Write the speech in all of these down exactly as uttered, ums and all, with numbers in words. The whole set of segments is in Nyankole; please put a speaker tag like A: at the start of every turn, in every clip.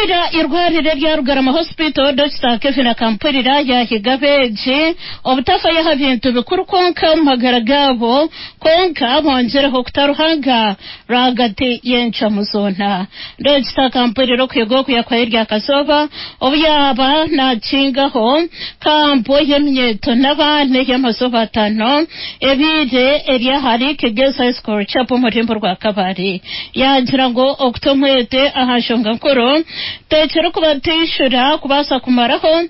A: Okurira irwarire rya Rugarama Hospital, Dokita Kevin Akampurira yahiga abeegi obutafayo aha bintu bikuru kwonka omu magara gaabo, kwonka bongereho okuta Ruhanga rwagati y'encwamu zoona. Dokita Akampurira okuhiga oku yakuhayo erya kazooba obu yaaba nakingaho kampu y'eminyeeto n'abaana ey'amazooba ataano ebiire eri ahari Kigezi High School Chapel omu rurembo rwa Kabale. Yaagira ngu okuta omwete aha nshonga nkuru tekirikubateishura kubaasa kumaraho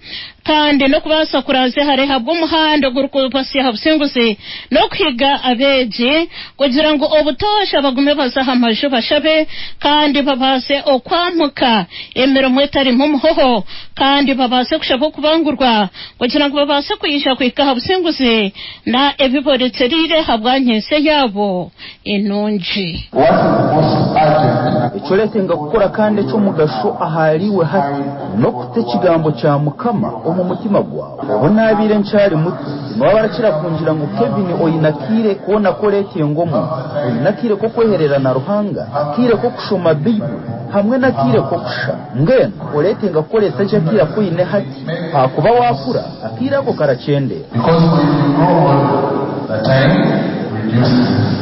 A: kandi n'okubaasa kuranzya hare ahabw'omuhanda ogurikubasya aha businguzi, n'okuhiga abeegi kugira ngu obutoosha bagume baze aha maju bashabe kandi babaase okwamuka emirimo etarimu muhoho, kandi babaase kushaba okubangurwa kugira ngu babaase kwija kuhika aha businguzi na ebiboretereire ahabwa nyentsya yaabo enungi.
B: Ekyoretenga kukora kandi eky'omugasho ahariwe hati n'okuta ekigambo kya Mukama omu mutima gwawe. Obu naabaire nkyari muto, niba barakira kungira ngu Kevin oine akiire koona koreetenga omuntu, oine akiire k'okweherera na Ruhanga, akiire k'okushoma Baibuli hamwe n'akiire k'okushaba. Mbwenu oreetenga kukoresa gye akiire aku oine hati, ahakuba waakura akiire ako karakyendera.
C: Because when you grow old, the time reduces.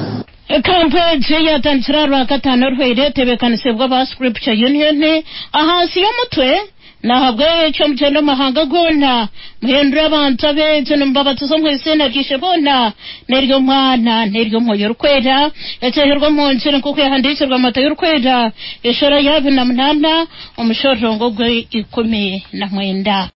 A: Kampu egi yatandikire aha Rwakataano oruhweire, etebeekanisibwa aba Scripture Union ahansi y'omutwe "Nahabwekyo mugyende omu mahanga goona, muhindure abantu abeegi, nimubabatiza omu izina ry'Ishe boona n'ery'Omwana n'ery'Omwoyo Orikwera", ekyeherwa omu ngiri nk'oku yahandiikirwe Matayo Orikwera, eshora ya abiri na munaana, omushororongo gw'ikumi na mwenda.